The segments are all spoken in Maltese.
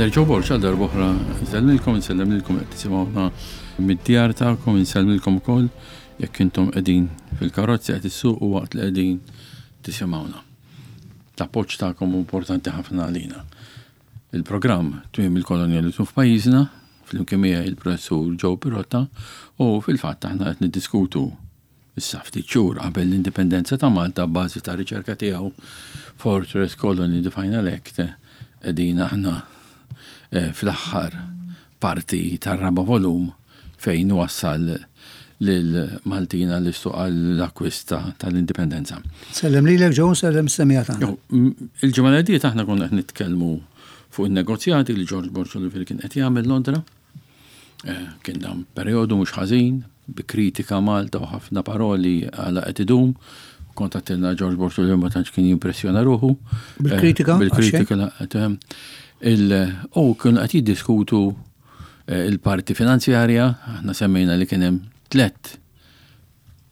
Father Joe Borg għal darb'oħra nsellmilkom, insellem lilkom qed tisimgħuna mid-djar tagħkom, insellmilkom ukoll jekk intom qegħdin fil-karozzi qed issuqu waqt li qegħdin tisimgħuna. L-appoġġ tagħkom hu importanti ħafna għalina. Il-programm Tmiem il-Kolonjaliżmu f'pajjiżna, flimkien miegħi il-Professur Joe Pirotta u fil-fatt aħna qed niddiskutu issa ftit xhur qabel l-indipendenza ta' Malta b'bażi ta' riċerka tiegħu Fortress Colony The Final Act qegħdin aħna eh, fl-aħħar parti tar-raba' volum fejn wassal lil Maltin għall-istuq għall-akkwist tal-indipendenza. Sellem lilek Joe, sellem is-semmiegħa tagħna. Il-ġimgħa li għaddiet aħna konna qed nitkellmu fuq in-negozjati li George Borg Olivier kien qed jagħmel Londra. Eh, kien dan perjodu mhux ħażin, bi kritika Malta u ħafna paroli għala qed idum. Kont għattilna George Borg Olivier ma tantx kien jimpressjona ruħu. Bil-kritika? Eh, bil-kritika. U kienu qed jiddiskutu eh, il-parti finanzjarja, aħna semmejna li kien hemm tlett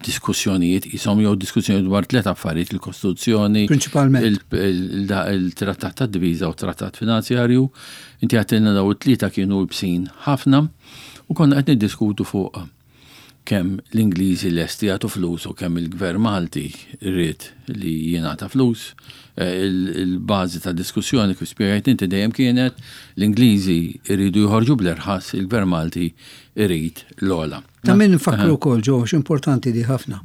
diskussjonijiet, jisom jew diskussjonijiet dwar tliet affarijiet, il-Kostituzzjoni, Prinċipalment. il-trattat ta' diviża u trattat finanzjarju. Inti għattilna daw it-tlieta kienu ibsin ħafna u konna qed niddiskutu fuq kemm l-Ingliżi lesti jagħtu flus u kemm il-Gvern Malti ried li jingħata flus. Eh, il-bażi ta' diskussjoni kif spjegajt inti dejjem kienet l-Ingliżi jridu joħorġu bl-irħas, il-Gvern Malti jrid l-ogħla. Ta' min nfakkru wkoll ġo importanti di ħafna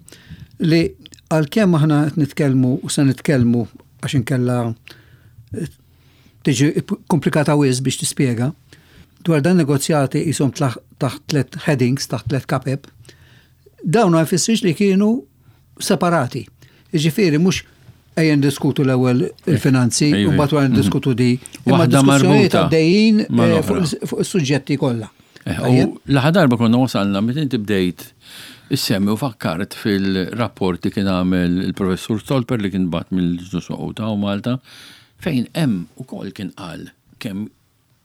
li għalkemm aħna qed nitkellmu u se nitkellmu għax inkella eh, tiġi komplikata wisq biex tispjega, dwar dan negozjati jisom taħt tlet headings, taħt tlet kapep, dawn ma jfissirx li kienu separati. Jiġifieri mhux ejja ndiskutu l-ewwel il-finanzi u mbagħad wara ndiskutu di. Imma diskussjonijiet għaddejjin eh, fuq is-suġġetti kollha. Eh, u l-aħħar darba konna wasalna meta inti bdejt issemmi u fakkart fil-rapport li kien għamel il-professur Stolper li kien bat mill-ġnus u Malta fejn hemm ukoll kien qal kemm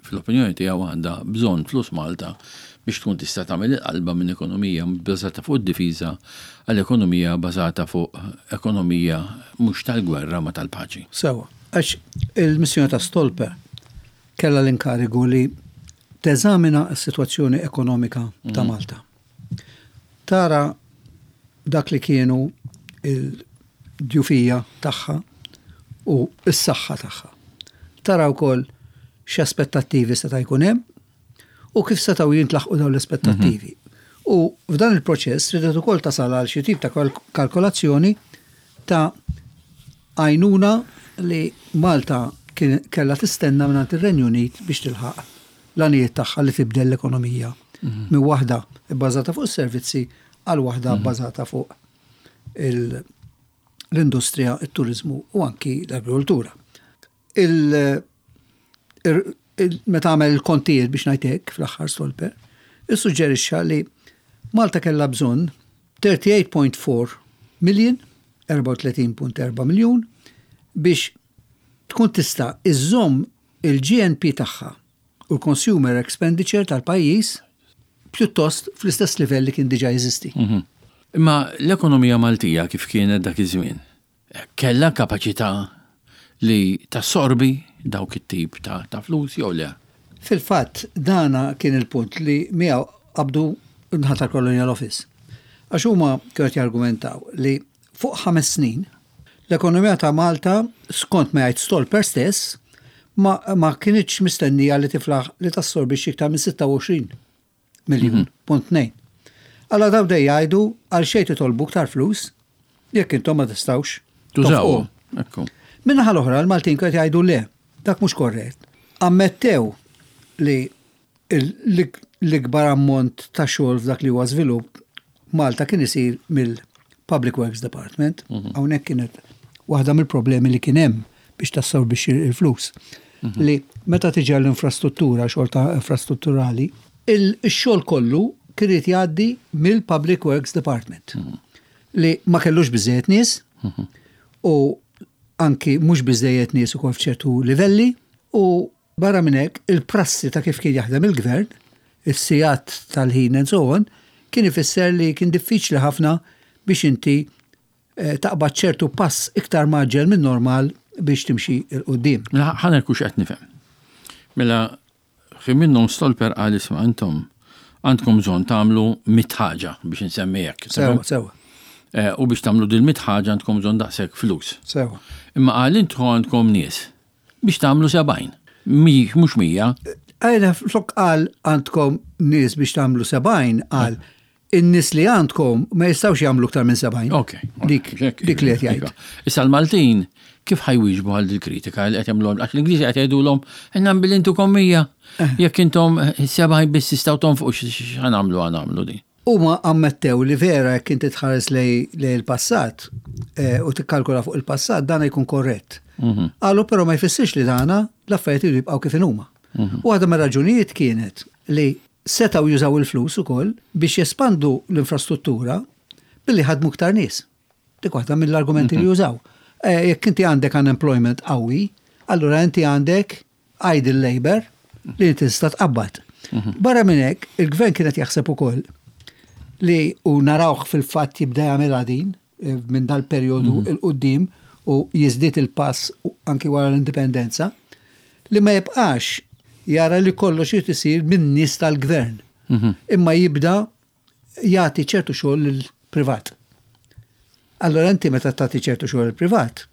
fl-opinjoni tiegħu għandha bżonn flus Malta biex tkun tista' tagħmel il-qalba minn ekonomija bbażata fuq id-difiża għal ekonomija bbażata fuq ekonomija mhux tal-gwerra ma tal-paċi. Sewwa, għax il-missjoni ta' Stolper kellha l-inkarigu li teżamina s-sitwazzjoni ekonomika ta' mhm. Malta. Tara dak li kienu il-djufija tagħha u s-saħħa tagħha. Tara wkoll x'aspettattivi seta' jkun hemm u kif setgħu jintlaħqu dawn l-aspettattivi. Mhm. U f'dan il-proċess ridet ukoll tasal għal xi tip ta' kalkolazzjoni ta' għajnuna li Malta kellha tistenna mingħand ir-Renju Unit biex tilħaq l-għanijiet tagħha li tibdel l-ekonomija mhm. minn waħda bbażata fuq is-servizzi għal waħda mhm. bbażata fuq l-industrija, it-turizmu u anki l-agrikoltura. Meta għamel il-kontijiet biex ngħid hekk fl-aħħar Stolper, issuġġerixxa li Malta kellha bżonn 38.4 million, 34.4 miljun biex tkun tista' iżżomm il-GNP tagħha u l-consumer expenditure tal-pajjiż pjuttost fl-istess livell li kien diġà jeżisti. Mhm. Imma l-ekonomija Maltija kif kienet dak iż-żmien? Kellha kapaċità li tassorbi dawk it-tip ta' ta' flus jew le? Fil-fatt, dana kien il-punt li miegħu qabdu n-naħa tal-Colonial Office. Għax huma kienu qed jargumentaw li fuq ħames snin, l-ekonomija ta' Malta, skont ma jgħid Stolper stess, ma, ma kinitx mistennija li tiflaħ li tassorbixxi iktar minn 26 miljun, mhm. punt nejn. Alla daw dej jgħidu għal xejn titolbu iktar flus jekk intom ma tistgħux tużaw. Minnaħa l-oħra l-Maltin qed jgħidu le, dak mhux korrett. Ammettew li l-ikbar ammont ta' xogħol f'dak li huwa żvilupp Malta kien isir mill-Public Works Department. Mhm. Hawnhekk kienet waħda mill-problemi li kien hemm biex tassorbixxi l-flus. Mhm. Li meta tiġi l-infrastruttura, xogħol ta' infrastrutturali, il-xogħol kollu kien irid jgħaddi mill-Public Works Department. Mhm. Li ma kellux biżejjed nies u anki mhux biżejjed nies ukoll f'ċertu livelli u Barra minn hekk, il-prassi ta' kif kien jaħdem il-gvern, is-sigħat tal-ħin and so on, kien ifisser li kien diffiċli ħafna biex inti eh, taqbad ċertu pass iktar mgħaġġel minn normal biex timxi 'l quddiem. Mela ħa ngħid hux qed nifhem. Mela Xi minnhom Stolper qal isma' intom għandkom bżonn tagħmlu mit ħaġa biex insemmi hekk. Sewa, sewa. Eh, u biex tagħmlu dil mit ħaġa għandkom bżonn daqshekk flus. Sewa. Imma qal intħu għandkom nies biex tagħmlu 70. Mhux 100. Għajna flok qal għandkom nies biex tagħmlu 70 qal in-nies li għandkom ma jistgħux jagħmlu iktar minn 70. Ok. Dik dik li qed jgħid. Iva. Issa l-Maltin kif ħajwieġbu għal dil-kritika li qed jagħmluhom għax l-Ingliżi qed jgħidulhom inna billi intukom 100. Jekk intom 70 biss tistgħu tonfqu x'ħanamlu ħanamlu din. Huma ammettew li vera jekk inti tħares lej il-passat u tikkalkula fuq il-passat dan jkun korrett. Qalu però ma jfissirx li dana l-affarijiet iridu jibqgħu kif inhuma. U waħda mir-raġunijiet kienet li setgħu jużaw il-flus ukoll biex jespandu l-infrastruttura billi ħadmu iktar nies. Dik waħda mill-argumenti li jużaw. Jekk inti għandek unemployment qawwi, allura inti għandek idle labor li inti tista' tqabbad. Barra minn hekk, il-gvern kien qed jaħseb ukoll li u narawh fil-fatt jibda jagħmilha din minn dal-perjodu 'l quddiem u jiżdied il-pass anki wara l-indipendenza, li ma jibqax jara li kollox irid isir min-nies tal-gvern, imma jibda jagħti ċertu xogħol lill-privat. Allura inti meta tagħti ċertu xogħol lill-privat,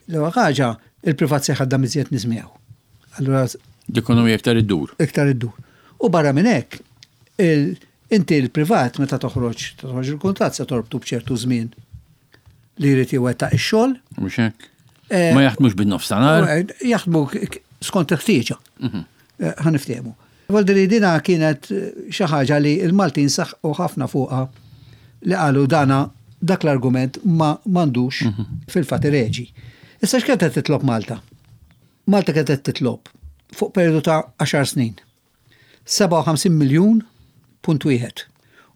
l-ewwel ħaġa, il-privat se jħaddam iżjed nies miegħu. Allura L-ekonomija iktar iddur. Iktar iddur. U barra minn hekk, inti l-privat meta toħroġ, toħroġ il-kuntratt se torbtu b'ċertu żmien li jrid iwettaq ix-xogħol. Mhux hekk. Ma jaħdmux bin-nofs ta' nhar. Jaħdmu skont il-ħtieġa. Ħa niftehmu. Vuol dire dina kienet xi ħaġa li l-Maltin saħqu ħafna fuqha li qalu dana dak l-argument ma m'għandux fil-fatt ireġi. Issa x'kienet qed titlob Malta? Malta kienet qed titlob fuq perjodu ta' għaxar snin 57 miljun punt wieħed.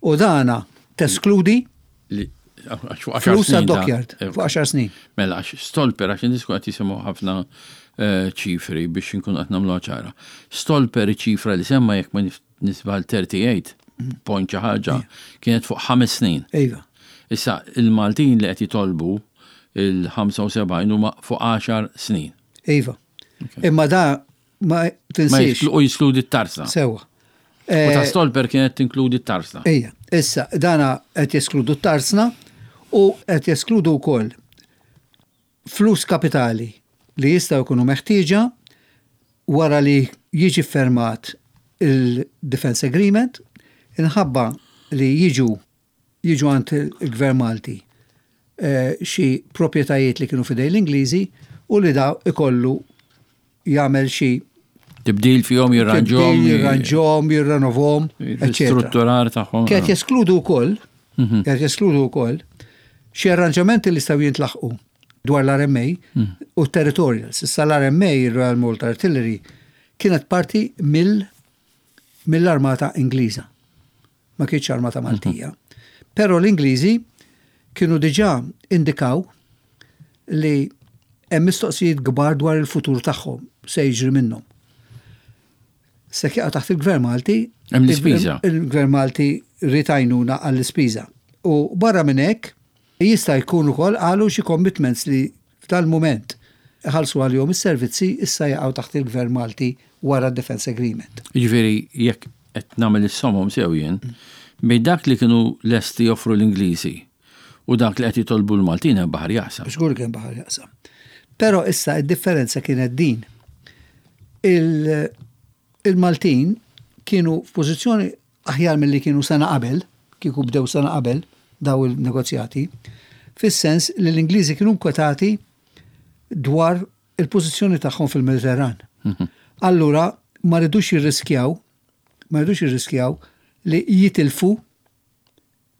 U dana teskludi flus għad-dockyard fuq għaxar snin. Mela, għax Stolper, għax in-nies qed jisimgħu ħafna ċifri biex inkunu qed nagħmluha ċara. Stolper iċ-ċifra li semma jekk ma nisbal 38 point xi ħaġa kienet fuq ħames snin. Iva. Issa il-Maltin li qed jitolbu il-75 huma fuq għaxar snin. Iva. Imma da ma tinsiex. U jiskludi t-tarsna. Sewa. U ta' Stolper kienet tinkludi t-tarsna. Ejja, issa dana qed jeskludu t-tarsna u qed jeskludu wkoll flus kapitali li jistgħu jkunu meħtieġa wara li jiġi ffermat il-Defence Agreement inħabba li jiġu jiġu għand il-Gvern Malti xi proprjetajiet li kienu f'idejn l-Ingliżi u li da ikollu jagħmel xi Tibdil fihom, jirranġhom. Jirranġhom, jirrenovhom, eċċetera. Strutturar tagħhom. Kienet jeskludu wkoll, kienet jeskludu wkoll xi arranġamenti li jistgħu jintlaħqu dwar l-RMA u territorials. Issa l-RMA, il-Royal Malta Artillery, kienet parti mill mill-Armata Ingliża. Ma kienx armata Maltija. Però l-Ingliżi kienu diġà indikaw li hemm mistoqsijiet kbar dwar il-futur tagħhom se jiġri minnhom. Se jaqa' taħt il-Gvern Malti. Hemm l-ispiża. Il-Gvern Malti ried għajnuna għall-ispiża. U barra minn hekk jista' jkun ukoll qalu xi commitments li f'dal-mument iħallsu għalihom is-servizzi issa jaqgħu taħt il-Gvern Malti wara d-Defence Agreement. Jiġifieri jekk qed nagħmel is-somom sew jien, bejn dak li kienu lesti joffru l-Ingliżi u dak li qed jitolbu l-Maltin hemm baħar jaqsam. Żgur kien baħar jaqsam. Però issa d-differenza kienet din. Il-Maltin kienu f'pożizzjoni aħjar milli kienu sena qabel, kieku bdew sena qabel daw il-negozjati, fis-sens li l-Ingliżi kienu nkwetati dwar il-pożizzjoni tagħhom fil-Mediterran. Allura ma ridux jirriskjaw, ma ridux jirriskjaw li jitilfu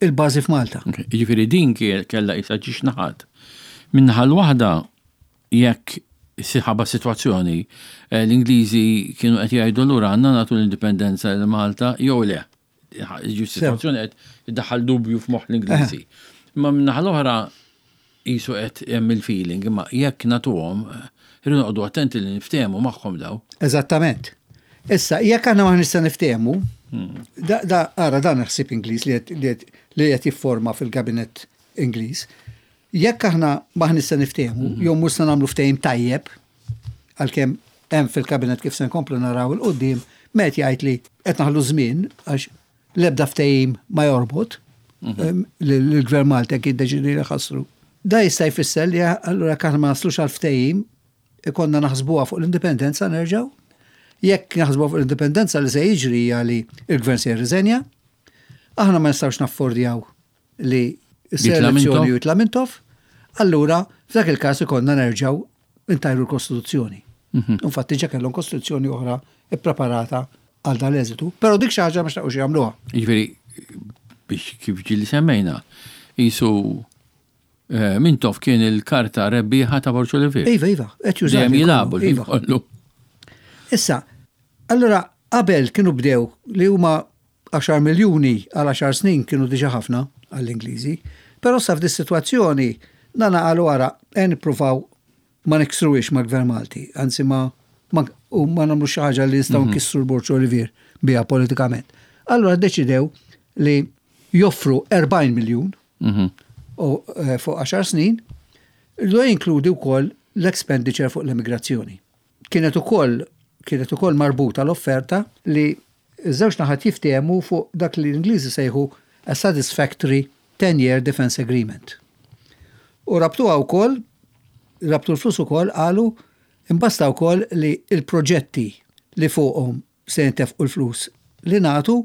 il-bażi f'Malta. Jiġifieri din kellha qisha ġiex naħat. Min-naħa l-waħda jekk ħabba sitwazzjoni eh, l-Ingliżi kienu qed jgħidu lura għandna nagħtu l-indipendenza lil Malta jew le. Ġi sitwazzjoni qed iddaħħal dubju f'moħħ l-Ingliżi. Imma min-naħa l-oħra qisu qed hemm il-feeling, imma jekk nagħtuhom, irridu noqogħdu attenti li niftehmu magħhom daw. Eżattament. Issa, jekk aħna ma nista' niftehmu, da, da, ara dan ħsieb Ingliż li qed jifforma fil-kabinett Ingliż. Jekk aħna ma nista' niftehmu, jew mhux se nagħmlu ftehim tajjeb, għalkemm hemm fil-kabinett kif se nkomplu naraw il-qudiem. Met jgħid li qed naħlu żmien għax l-ebda ftehim ma jorbot mhm. l-gvern Malti jekk jiddeċidi li ħassru. Da jista' jfisser li allura kan ma naslux għal ftehim ikonna naħsbuha fuq l-indipendenza nerġgħu. Jekk naħsbuha fuq l-indipendenza li se jiġri hija li l-gvern se jirriżenja, aħna ma nistgħux naffordjaw li s-selezzjoni jitla' Mintoff, allura f'dak il-każ ikollna nerġgħu intajru l-Kostituzzjoni. Mhm. Infatti ġa kellhom Kostituzzjoni oħra ippreparata għal dan l-eżitu, però dik xi ħaġa ma xtaqux jagħmluha. Jiġifieri biex kif ġieli semmejna, jisu eh, Mintoff kien il-karta rebbieħa ta' Borġ Olivier. Iva, iva, qed jużaw. Dejjem jilagħbu iva. kollu. Issa, allura qabel kienu bdew li huma Għaxar miljuni għal għaxar snin kienu diġà ħafna għall-Ingliżi. Però issa f'dis-sitwazzjoni dana qalu ara ejja nippruvaw ma niksruhiex mal-Gvern Malti, anzi ma ma u ma nagħmlux xi ħaġa li nistgħu nkissru l-Borġ Olivier biha politikament. Allura ddeċidew li joffru 40 miljun u fuq għaxar snin li jinkludi wkoll l-expenditure fuq l-immigrazzjoni. Kienet ukoll kienet ukoll marbuta l-offerta li ż-żewġ naħat jiftehmu fuq dak li l-Ingliżi sejħu a satisfactory ten-year defence agreement. U rabtuha wkoll, rabtu l-flus ukoll qalu imbasta wkoll li l-proġetti li fuqhom se jintefqu l-flus li nagħtu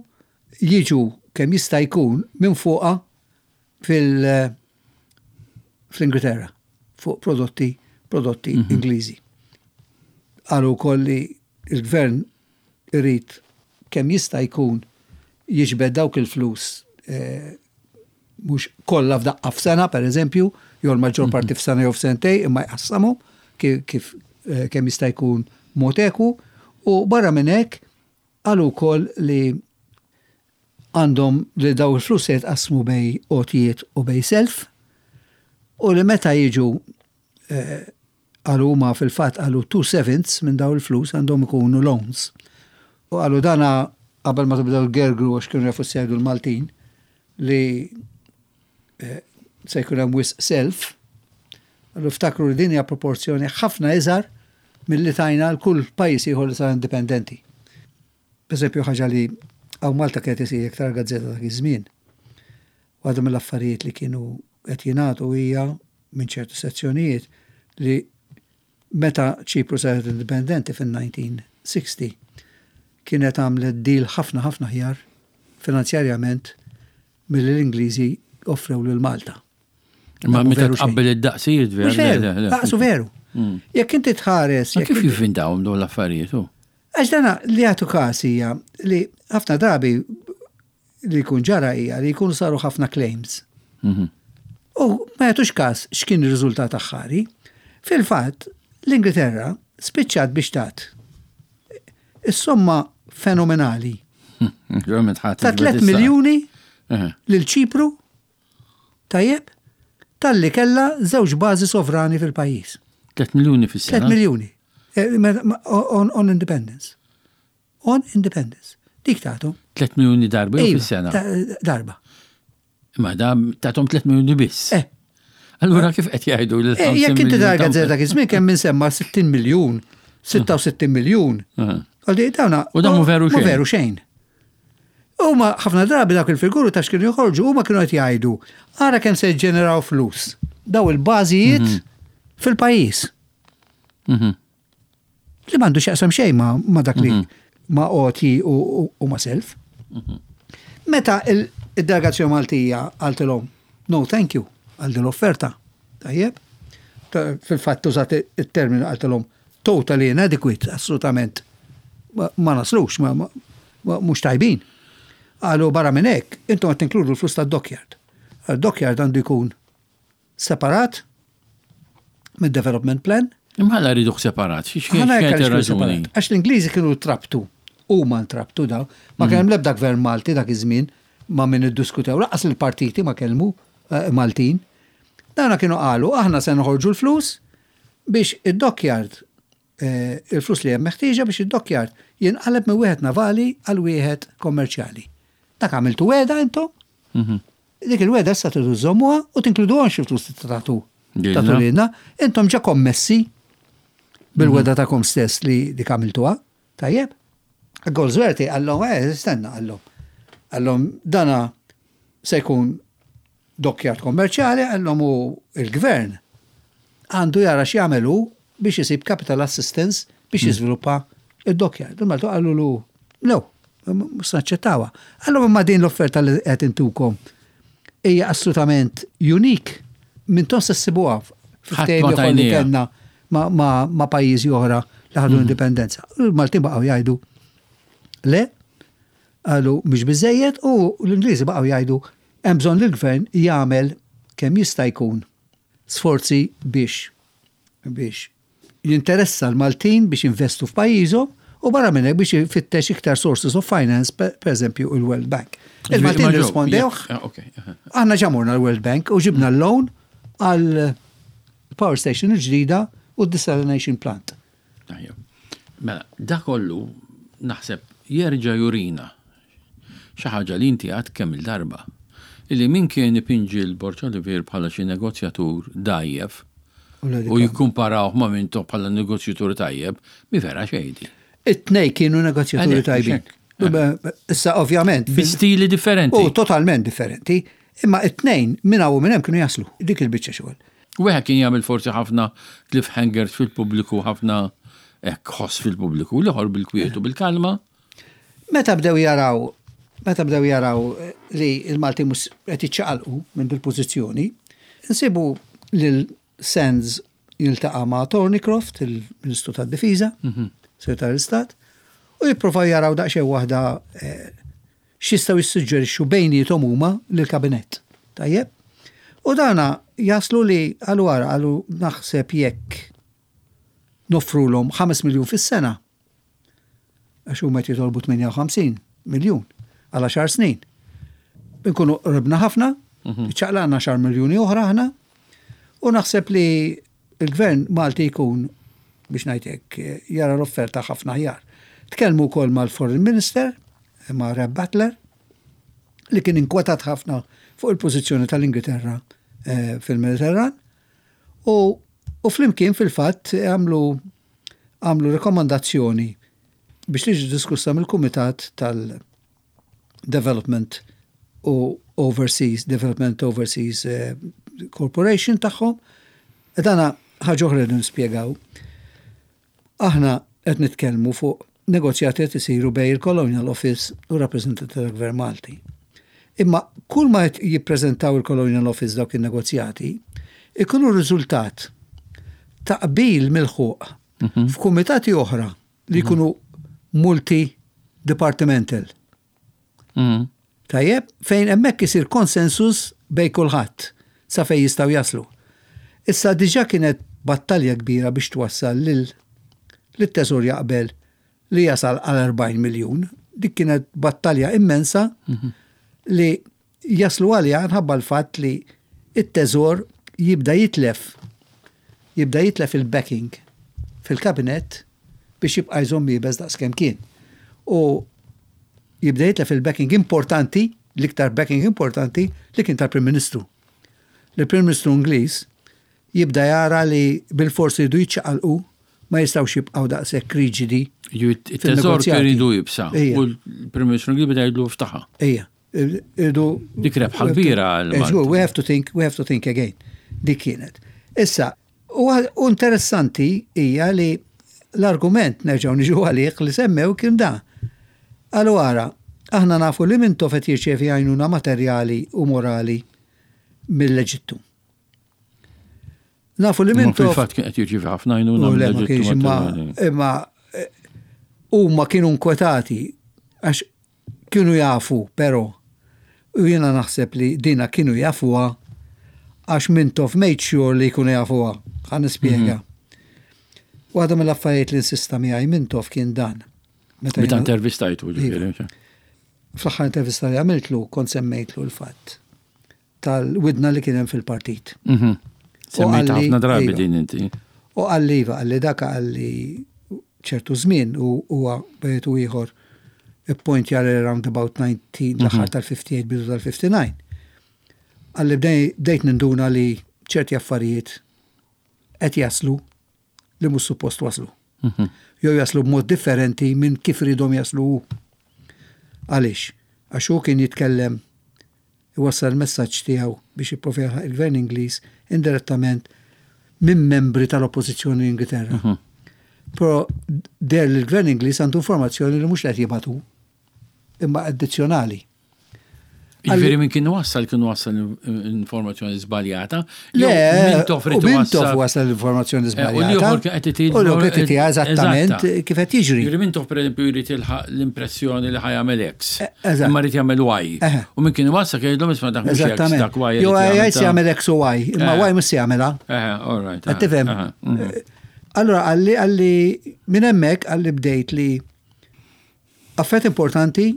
jiġu kemm jista' jkun minn fuqha fil fl-Ingilterra fuq prodotti prodotti mhm. Ingliżi. Qalu wkoll li l-gvern irid kemm jista' jkun jiġbed dawk il-flus eh, mhux kollha f'daqqa f'sena pereżempju, jew l-maġġor mhm. parti f'sena jew f'sentej, imma jqassamu kif eh, kemm jista' jkun mod eku u barra minn hekk Qalu wkoll li għandhom li daw il-flus se jitqassmu bejn għotjiet u bejn self u li meta jiġu eh, qalu huma fil-fatt qalu 2/7 minn daw il-flus għandhom ikunu loans. U qalu dana qabel ma tibdew gergru għax kienu jafu jgħidu l-Maltin li eh, se jkun hemm wisq self. Qalu ftakru li din hija proporzjoni ħafna iżgħar milli tajna l kull pajjiż ieħor li sar indipendenti. Pereżempju ħaġa li hawn Malta kienet isir iktar gazzetta dak iż-żmien. Waħda mill-affarijiet li kienu qed jingħadu hija minn ċertu sezzjonijiet li meta Ċipru saret indipendenti fin-1960 kienet għamlet deal ħafna ħafna aħjar finanzjarjament milli l-Ingliżi offrew lil Malta. Ma meta tqabbel id-daqsijiet veru. Veru, daqsu veru. Mm. Jekk inti tħares. Kif jivvintawhom dawn l-affarijiet? Għax dana li għatu każ hija li ħafna drabi li jkun ġara hija li jkunu saru ħafna claims. Mhm. U ma jagħtux każ x'kien ir-riżultat aħħari. Fil-fatt, l-Ingilterra spiċċat biex tat is-somma fenomenali ta' 3 miljuni lil Ċipru Tajjeb? Talli kellha żewġ bażi sovrani fil-pajjiż. 3 miljuni fis-sena. 3 miljuni. Eh, on, on independence. On independence. Dik tagħtu. 3 miljuni darba jew iva, fis-sena? Darba. Ma da tagħthom 3 miljuni biss. Eh. Allura kif qed jgħidu l eh, Jekk inti tara gazzetta dak iż-żmien kemm insemma 60 miljun, 66 miljun. Eh. Għaldi dawna. U dan mhu veru xejn. Veru xejn. Huma ħafna drabi dawk il-figuri ta' x'kienu joħorġu huma kienu qed jgħidu ara kemm se jiġġeneraw flus daw il-bażijiet mhm. fil-pajjiż. Mhm. Li m'għandu x'jaqsam xejn ma' dak li mhm. ma' għoti u ma' self. Meta il-delegazzjoni Maltija qaltilhom no thank you għal din l-offerta. Tajjeb? Fil-fatt użat it-terminu qaltilhom totally inadequate, assolutament ma naslux, mhux tajbin. Qalu barra minn hekk, intom qed tinkludu l-flus tad-dockyard. Dockyard għandu jkun separat mid-development plan. Imma għala rriduh separat? Xi kienet ir-raġuni? Għax l-Ingliżi kienu trabtu, huma ntrabtu daw. Ma kien hemm l-ebda gvern Malti dak iż-żmien ma' min iddiskutew, lanqas il-partiti ma kellmu eh, Maltin. Dawna kienu qalu aħna se noħorġu l-flus biex id-dockyard, il-flus li hemm meħtieġa biex id-dockyard jinqaleb minn wieħed navali għal wieħed kommerċjali. Dak għamiltu wegħda intom? Mhm. Dik il-wegħda issa tridu żżommuha u tinkluduhomx il-flus li tagħtu tagħtu lilna. Intom ġa kommessi bil-wegħda mhm. tagħkom stess li dik għamiltuha. Tajjeb? Goldsworthy qallhom, eh, stenna qallhom. Qallhom dana se jkun dockyard kommerċjali, qallhom u il-gvern għandu jara x'jagħmel hu biex isib capital assistance biex jiżviluppa id-dockyard. Il-Maltu qalulu no, mhux naċċettawha. Qallhom imma din l-offerta li qed intukom hija assolutament unique m'intom se ssibuha Ħadd ma ftehim ieħor li kellna ma' pajjiżi oħra li ħadu l-indipendenza. Il-Maltin baqgħu jgħidu le, qalu mhix biżejjed u l-Ingliżi baqgħu jgħidu hemm bżonn li l-gvern jagħmel kemm jista' jkun sforzi biex biex jinteressa l-Maltin biex jinvestu f'pajjiżhom u barra minn hekk biex ifittex iktar sources of finance, per eżempju il-World Bank. Il-Maltin irrispondewh. Aħna ġa morna l-World Bank u ġibna l-loan għal power station il-ġdida u d-desalination plant. Mela, da kollu naħseb jerġa' jurina xi ħaġa li inti għedt kemm il-darba. Illi min kien ipinġi l-Borg Olivier bħala xi negozjatur dgħajjef u jikkumparawh ma' Mintoff bħala negozjatur tajjeb, mi vera xejn di. It-tnej kienu negozjaturi tajbin. Issa ovvjament. Bi stili differenti. U totalment differenti. Imma it-tnejn minn hawn u minn hemm kienu jaslu. Dik il-biċċa xogħol. Wieħed kien jagħmel forsi ħafna cliffhangers fil-pubbliku, ħafna hekk ħoss fil-pubbliku, l-ieħor bil-kwiet u bil-kalma. Meta bdew jaraw meta bdew jaraw li l-Maltin mhux qed jiċċaqalqu minn dil-pożizzjoni, insibu lil Sands jiltaqa' ma' Thornycroft, il-Ministru tad-Difiża, Segretarju tal-Istat, u jippruvaw jaraw daqsxejn waħda x'jistgħu jissuġġerixxu bejniethom huma lill-Kabinett. Tajjeb? U dana jaslu li qalu ara qalu naħseb jekk noffrulhom 5 miljun fis-sena, għax huma qed jitolbu 58 miljun għal għaxar snin. Inkunu qribna ħafna, iċċaqlaqna għaxar miljuni oħra aħna, u naħseb li l-gvern Malti jkun biex ngħid hekk jara l-offerta ħafna aħjar. Tkellmu wkoll mal-Foreign Minister, ma' Rab Butler, li kien inkwetat ħafna fuq il-pożizzjoni tal-Ingilterra eh, fil-Mediterran u, u flimkien fil-fatt għamlu għamlu rekomandazzjoni biex tiġi diskussa mill-Kumitat tal-Development u Overseas, Development Overseas eh, Corporation tagħhom. Dana ħaġa oħra li nispjegaw. Aħna qed nitkellmu fuq negozjati qed isiru bejn il-Colonial Office u rappreżentanti tal-Gvern Malti. Imma kull ma qed jippreżentaw il-Colonial Office dawk in-negozjati ikunu riżultat ta' qbil milħuq f'kumitati oħra li jkunu multi-departmental. Tajjeb, fejn hemmhekk isir konsensus bejn kulħadd sa fejn jistgħu jaslu. Issa diġà kienet battalja kbira biex twassal lil lit-Teżor jaqbel li jasal għal 40 miljun. Dik kienet battalja immensa li jaslu għaliha nħabba l-fatt li it-teżor jibda jitlef jibda jitlef il-backing fil-kabinett biex jibqa' jżomm iebes daqskemm kien. U jibda jitlef il-backing importanti, l-iktar backing importanti li kien tal-Prim Ministru. L-Prim Ministru Ingliż jibda jara li bil-forsi jridu jiċċaqalqu ma jistgħux jibqgħu daqshekk riġidi. It-teżor kien iridu jibsa. U l-Prim Ministru Ingliż beda jgħidlu ftaħa. Ejja. Irdu. Dik rebħa kbira għal. We have to think, we have to think again. Dik kienet. Issa, u interessanti hija li l-argument nerġgħu niġu għalih li semmew kien da. Qalu ara, aħna nafu li Mintoff qed jirċievi għajnuna materjali u morali mill-Eġittu. Nafu li Mintoff. Fil-fatt kien qed jirċievi ħafna għajnuna mill-Eġittu. Imma huma kienu nkwetati għax Kienu jafu, però, u jiena naħseb li dina kienu jafuha għax Mintoff made sure li jkunu jafuha. Ħa nispjega. Waħda mill-affarijiet li insista miegħi Mintoff kien dan. Meta intervistajtu, ġifieri. Fl-aħħar intervista li għamiltlu kont semmejtlu l-fatt tal-widna li kien hemm fil-partit. Mhm. Semmejt ħafna drabi iva. din inti. U qalli iva, qalli dak qalli ċertu żmien u huwa bejt u ieħor ippointja li round about 19 l-aħħar mhm. tal-58 bidu tal-59. Qalli bdejt ninduna li ċerti affarijiet qed jaslu li mhux suppost waslu. Jew jaslu b'mod differenti minn kif ridhom jaslu hu. Għaliex? Għax hu kien jitkellem iwassal il-messaġġ tiegħu biex jipprova jilħaq il-Gvern Ingliż indirettament minn membri tal-Oppożizzjoni l-Ingilterra. Però deher li l-Gvern Ingliż għandu informazzjoni li mhux li qed jibgħat hu, imma addizzjonali. Jiġifieri min kien wassal kien wassal informazzjoni żbaljata. Le, Mintoff u Mintoff wasal informazzjoni żbaljata. U l-ieħor kien qed U l-ieħor qed itih eżattament kif qed jiġri. Jiġifieri Mintoff pereżempju jrid jilħaq l-impressjoni li ħa jagħmel X. Eżatt. Imma jrid jagħmel Y. U min kien iwassal kien jgħidlhom isma' dak mhux X, dak Y. Jew jgħid se jagħmel X u Y, imma Y mhux se jagħmilha. Eħe, all right. Qed tifhem? Allura qalli qalli minn hemmhekk qalli bdejt li Affarijiet importanti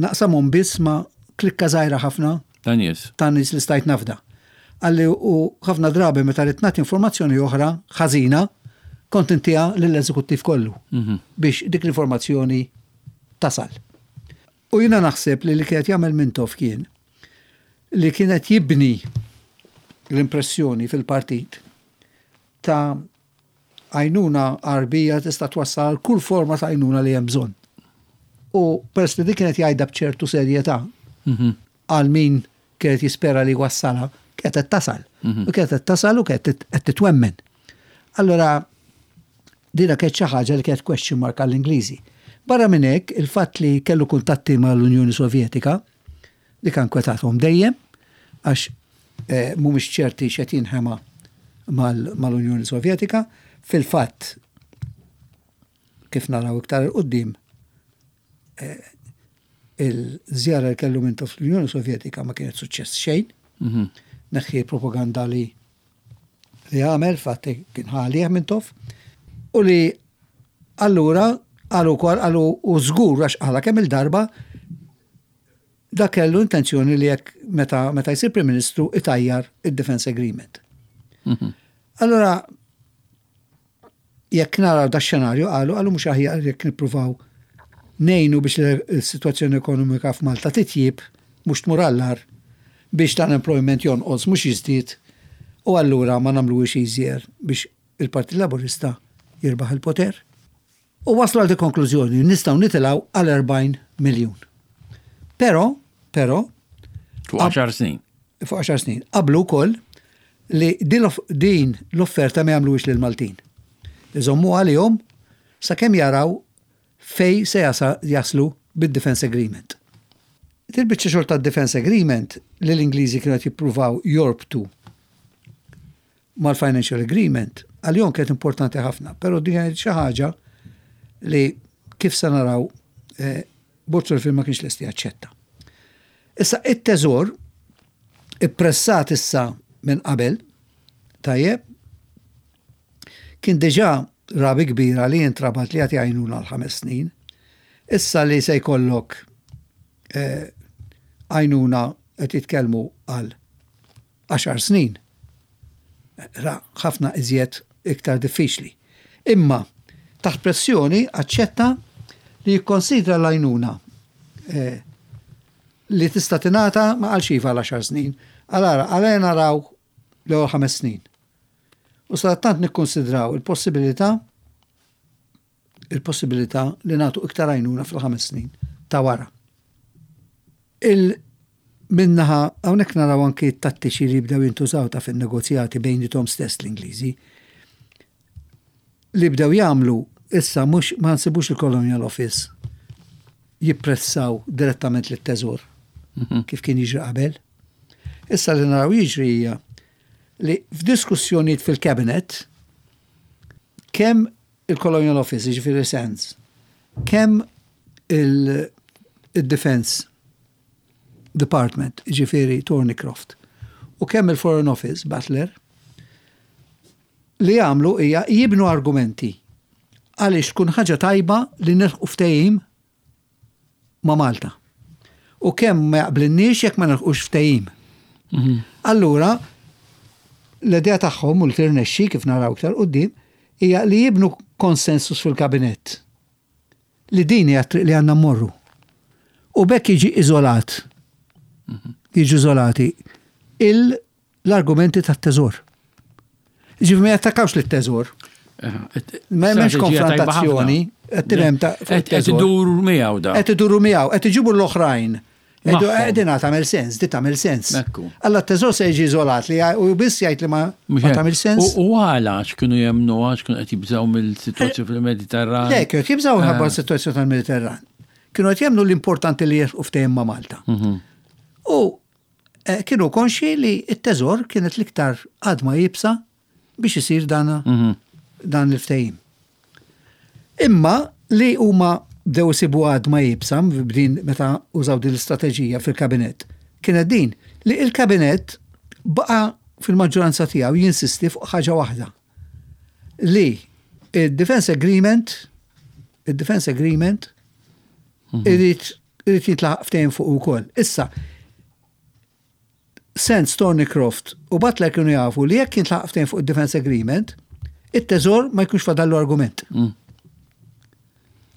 naqsamhom biss ma' klikka żgħira ħafna Ta' nies. ta' nies li stajt nafda. Qalli u ħafna drabi meta ridt nagħti informazzjoni oħra ħażina kont intiha lill-eżekuttiv kollu biex dik l-informazzjoni tasal. U jiena naħseb li li kien qed jagħmel Mintoff kien li kien qed jibni l-impressjoni fil-partit ta' Għajnuna Għarbija tista' twassal għal kull forma ta' għajnuna li hemm bżonn. U peress li dik kienet jgħidha b'ċertu serjetà għal min kienet jispera li jwassalha, kienet qed tasal. U kienet qed tasal u kienet qed titwemmen. Allura dina kienet xi ħaġa li kienet question mark għall-Ingliżi. Barra minn hekk, il-fatt li kellu kuntatti mal-Unjoni Sovjetika, Dik ankwetathom dejjem għax mhumiex ċerti x'qed jinħema mal-Unjoni Sovjetika. Fil-fatt, kif naraw iktar 'il quddiem, il-żjara li kellu Mintoff fl-Unjoni Sovjetika ma kienet suċċess xejn. Neħħi l-propaganda li li għamel, fatt kien ħa għalih Mintoff, u li allura qalu wkoll qalu u żgur għax qalha kemm il-darba Dak kellu intenzjoni li jekk meta meta jsir Prim Ministru itajjar id-Defence Agreement. Allura jekk naraw da xenarju qalu qalu mhux aħjar jekk nippruvaw ngħinu biex l-sitwazzjoni ekonomika f'Malta titjib mhux tmur għall-agħar biex l-unemployment jonqos mhux jiżdied u allura ma nagħmluhiex easier biex il-Partit Laburista jirbaħ il-poter. U waslu għal dik konklużjoni, nistgħu nitilgħu għal 40 miljun. Però, però. Fuq 10 snin. Fuq 10 snin. Qablu wkoll li din l-offerta ma jagħmluhiex lill-Maltin. Iżommu għalihom sakemm jaraw fej se jaslu bid-Defence Agreement. Dil-biċċa xogħol tad-Defence Agreement li l-Ingliżi kienu qed jippruvaw jorbtu mal-financial agreement għalihom kienet importanti ħafna, però din kienet xi ħaġa li kif se naraw eh, Borg Solfin ma kienx lesti jaċċetta. Issa it-teżor ippressat issa minn qabel, tajjeb, kien diġà rabi kbira li jintrabat li jagħti għajnuna għal ħames snin. Issa li se jkollok eh, għajnuna qed jitkellmu għal għaxar snin, ra ħafna iżjed iktar diffiċli. Imma taħt pressjoni aċċetta li jikkonsidra l-għajnuna eh, li tista' tingħata ma qalx iva għal għaxar snin. Għal ara, naraw l-ewwel ħames snin. U sadattant nikkonsidraw il-possibilità il-possibilità li nagħtu iktar għajnuna fil-ħames snin ta' wara. Il Min-naħa, hawnhekk naraw anki t-tattiċi li bdew jintużaw ta' fin-negozjati bejniethom stess l-Ingliżi. Li bdew jagħmlu issa mhux ma nsibux il-Colonial Office jippressaw direttament lit-Teżor kif kien jiġri qabel. Issa li naraw jiġri hija li f'diskussjonijiet fil-Cabinet kemm il-Colonial Office, jiġifieri Sands, kemm il-Defence Department, jiġifieri Thornycroft, u kemm il-Foreign Office, Butler, li jagħmlu hija jibnu argumenti għaliex tkun ħaġa tajba li nilħqu ftehim ma' Malta. U kemm ma jaqblinniex jekk ma nilħqux ftehim. Mhm. Allura, l-idea tagħhom u li tirnexxi kif naraw iktar quddiem hija li jibnu konsensus fil-kabinett li din hija t-triq li għandna mmorru. U b'hekk jiġi iżolat, jiġu iżolati l-argumenti tat-teżor. Ġifieri ma jattakkawx lit-teżor. Ma hemmx konfrontazzjoni, qed tifhem ta' Qed iduru miegħu da. Qed iduru miegħu, qed iġibu l-oħrajn. Din tagħmel sens, di tagħmel sens. Alla t-teżor se jiġi iżolat li u biss jgħid li ma tagħmel sens. U għala x'kienu jemmnu għax kienu qed jibżgħu mill-sitwazzjoni fil-Mediterran. Le, kienu jibżgħu ħabba s-sitwazzjoni tal-Mediterran. Kienu qed jemmnu l-importanti li jerfqu ftehim ma' Malta. Mhm. U eh, kienu konxi li t-teżor kienet l-iktar għadma jibsa biex isir dan mhm. dan il-ftehim. Imma li huma bdew isibu għadma iebsa b'din meta użaw din l-istrateġija fil-kabinett kienet din li il-kabinett baqa' fil-maġġoranza tiegħu jinsisti fuq ħaġa waħda li il-Defense Agreement il-Defense Agreement mhm. irid irid jintlaħaq ftehim fuq ukoll. Issa, Sands, Thornycroft u Butler kienu jafu li jekk jintlaħaq ftehim fuq id-Defense Agreement, it-teżor ma jkunx fadallu argument. Mm.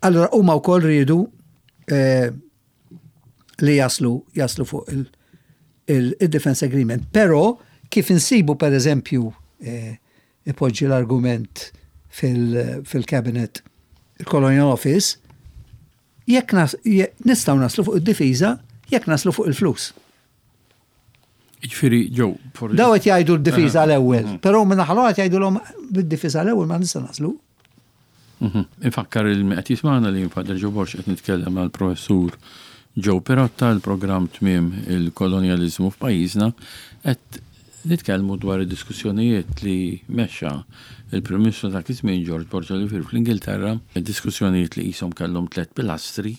Allora huma wkoll riedu eh, li jaslu jaslu fuq il-Defense Agreement. Però kif insibu per eżempju eh, ipoġġi l-argument fil-cabinet il-Colonial Office, Jekk nistgħu naslu fuq id-difiża, jekk naslu fuq il-flus. Jiġifieri ġew. Daw qed jgħidu d-difiża l-ewwel, mhm. però minn naħa qed jgħidulhom bid-difiża l-ewwel ma nista' naslu. Mhm. Infakkar il qed jismagħna li Father Joe Borg qed nitkellem mal professur Joe Pirotta l-programm tmiem il-kolonjaliżmu f'pajjiżna qed Nitkellmu dwar id-diskussjonijiet li mexxa l-Prim Ministru ta' dak iż-żmien George Borg Olivier fl-Ingilterra, diskussjonijiet li qishom kellhom tlett pilastri,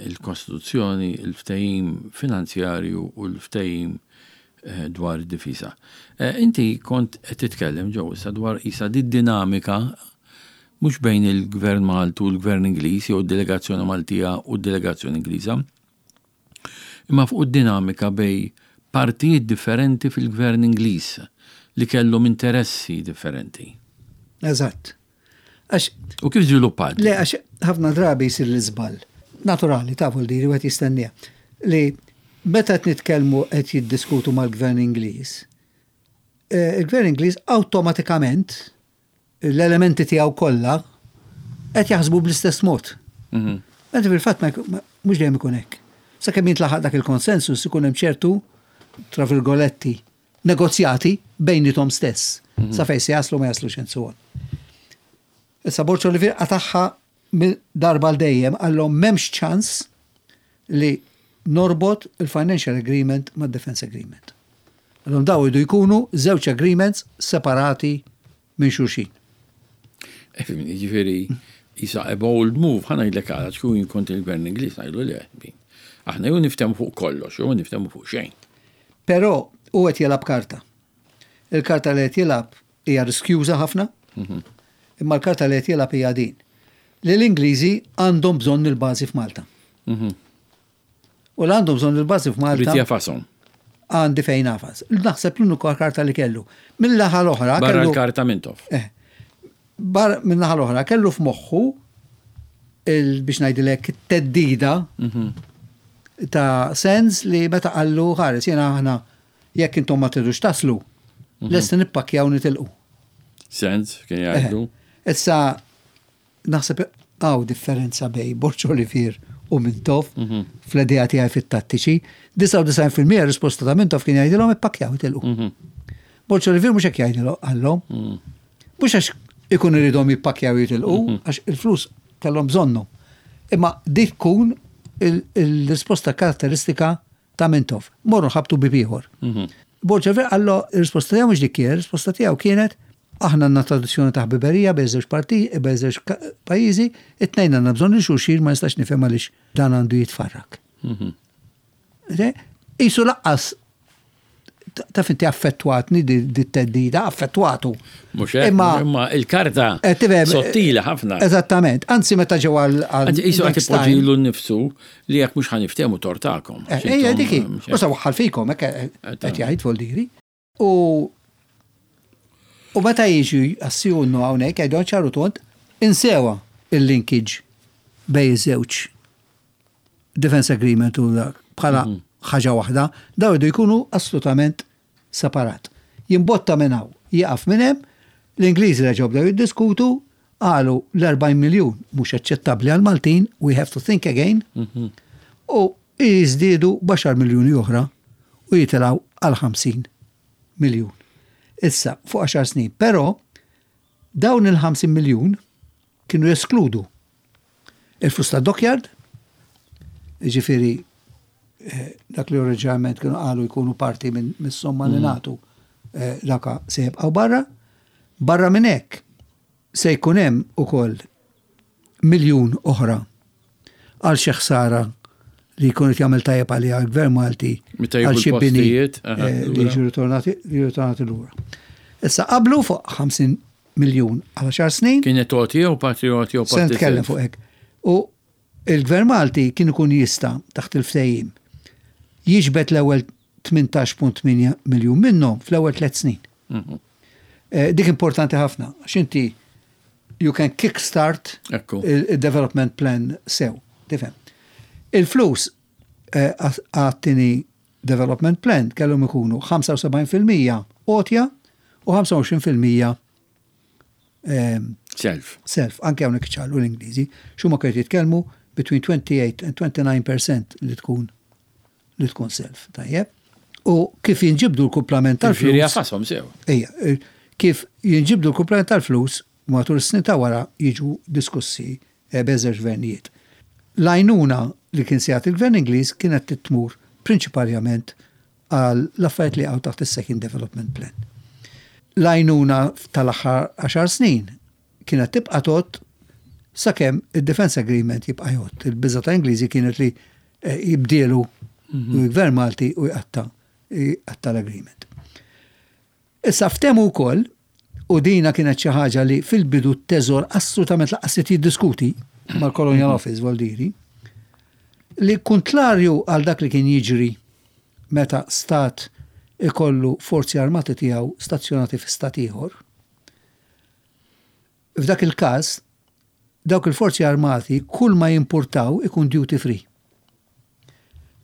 il-Kostituzzjoni, il-ftehim finanzjarju u l-ftehim dwar id-difiża. Inti kont qed titkellem, Joe, issa dwar qisha did-dinamika mhux bejn il-Gvern Malti u l-Gvern Ingliż jew id-delegazzjoni Maltija u d-delegazzjoni Ingliża. imma fuq id-dinamika bejn partijiet differenti fil-Gvern Ingliż li kellhom interessi differenti. Eżatt. Għax. U kif żviluppat? Le, għax ħafna drabi jsir l-iżball. Naturali, tafu l-diri, wieħed jistenniha. Li meta qed nitkellmu qed jiddiskutu mal-Gvern Ingliż, eh, il-Gvern Ingliż awtomatikament l-elementi tiegħu kollha qed jaħsbu bl-istess mod. Mhm. Mentre fil-fatt mhux dejjem ikun hekk. Sakemm jintlaħaq dak il-konsensus ikun hemm ċertu tra virgoletti negozjati bejniethom stess. Mhm. Sa fejn se jaslu ma jaslux and so on. Issa Borg Olivier qatagħha darba għal dejjem qallhom m'hemmx ċans li norbot il-financial agreement mad-defense agreement. Qallhom daw jridu jkunu żewġ agreements separati minn xulxin. Ifhimni, jiġifieri isa a bold move, ħa ngħidlek għala, kieku jien kont il-Gvern Ingliż ngħidlu le. Aħna jew niftehmu fuq kollox jew ma niftehmu fuq xejn. Però hu qed jilgħab karta. Il-karta li qed jilgħab Hija riskjuża ħafna, imma l-karta li qed jilgħab hija din. Li l-Ingliżi għandhom bżonn il-bażi f'Malta. U l għandhom bżonn il-bażi f'Malta. Rid jafashom. Għandi fejn nafas. Naħseb l-unika karta li kellu. Mill-naħa l-oħra. Barra l-karta Mintoff. Eh. Bar min-naħa l-oħra kellu f'moħħu biex ngħidilek teddida mhm. ta' sens li meta qallu ħares jiena aħna Jekk intom ma tridux taslu, mhm. lesti nippakkjaw nitilqu. Sens, kien jgħidu. Eh, issa, naħseb għaw differenza bej Borċ Olivier u Mintoff mhm. fl-idea tiegħi fit-tattiċi. 99% risposta ta' Mintoff kien jgħidilhom ippakkjaw itilqu. Mhm. Borċ Olivier mhux hekk jgħidilhom qallhom. Mhux għax ikun iridhom jippakkjaw jitilqu, għax il-flus kellhom bżonnhom. Imma dik tkun il-risposta karatteristika ta' Mintoff. Morru ħabtu bieb ieħor. Mhm. Borg Olivier qallu ir-risposta tiegħu mhux dik kienet, ir-risposta tiegħu kienet aħna għandna tradizzjoni ta' ħbiberija bejn żewġ parti, bejn żewġ pajjiżi, it-tnejn għandna bżonn lil xulxin ma nistax nifhem għaliex dan għandu jitfarrak. Mhm. Isu laqqas taf inti affettwatni di teddida, affettwatu. Mhux hekk, imma il-karta eh, eh, sottili ħafna. Eżattament, anzi meta ġew għal. Anzi qisu qed ipoġġilu nnifsu li jekk mhux ħaniftehmu tortakom. Eh, ejja diki, u sa waħħal fikom hekk qed jgħid voldiri. U u meta jiġu assijunnu hawnhekk jgħidu ċaru tont insewa il-linkage bej iż-żewġ Defense Agreement u dak bħala mhm. ħaġa waħda, daw jridu jkunu assolutament separat. Jimbotta minn hawn, jieqaf minn hemm, L-Ingliżi reġgħu bdew jiddiskutu, qalu l-40 miljun mhux aċċettabbli għall-Maltin, we have to think again, u jiżdiedu b'għaxar miljuni oħra u jitilgħu għal 50 miljun. Issa, fuq għaxar snin. Però dawn il-50 miljun kienu jeskludu il-flus tad-dockyard, jiġifieri dak li oriġinalment kienu qalu jkunu parti mis-somma li nagħtu daka se jibqgħu barra. Barra minn hekk se jkun hemm ukoll miljun oħra għal xi ħsara li jkun qed jagħmel tajjeb għaliha l-Gvern Malti għal xi bini li jiġu ritornati lura. Issa qablu fuq 50 miljun għal 10 snin. Kienet għoti jew parti għoti jew parti. Se nitkellem fuq hekk. U il-Gvern Malti kien ikun jista' taħt il-ftehim jiġbed l-ewwel 18.8 miljun minnhom fl-ewwel tliet snin. Dik importanti ħafna, għax inti you can kickstart il-development plan sew, tifhem. Il-flus għat-tieni development plan kellhom ikunu 75% għotja u 25% Self. Self, anke hawnhekk iċċaqlu l-Ingliżi, x'huma kienu jitkellmu between 28 and 29% li tkun li tkun self, tajjeb. U kif jinġibdu l-kumplament tal-flus. Ġifieri jafasom sew. Ejja, kif jinġibdu l-kumplament tal-flus matul is-snin ta' wara jiġu diskussi bejn żewġ gvernijiet. L-għajnuna li kien se jagħti l-Gvern Ingliż kienet trid tmur prinċiparjament għal l-affarijiet li jaqgħu taħt is-Second Development Plan. L-għajnuna tal-aħħar għaxar snin kienet tibqa' tgħodd sakemm id-Defence Agreement jibqa' jgħodd. Il-biża' ta' Ingliżi kienet li jibdielu l-Gvern Malti u jqatta' jqatta' l-agreement. Issa ftehmu wkoll, u dina kienet xi ħaġa li fil-bidu t-Teżor assolutament lanqas ried jiddiskuti mal-Colonial Office Voldiri, li kuntlarju għal dak li kien jiġri meta stat ikollu forzi armati tiegħu stazzjonati fi stat ieħor, f'dak il-każ dawk il-forzi armati kull ma jimpurtaw ikun duty free.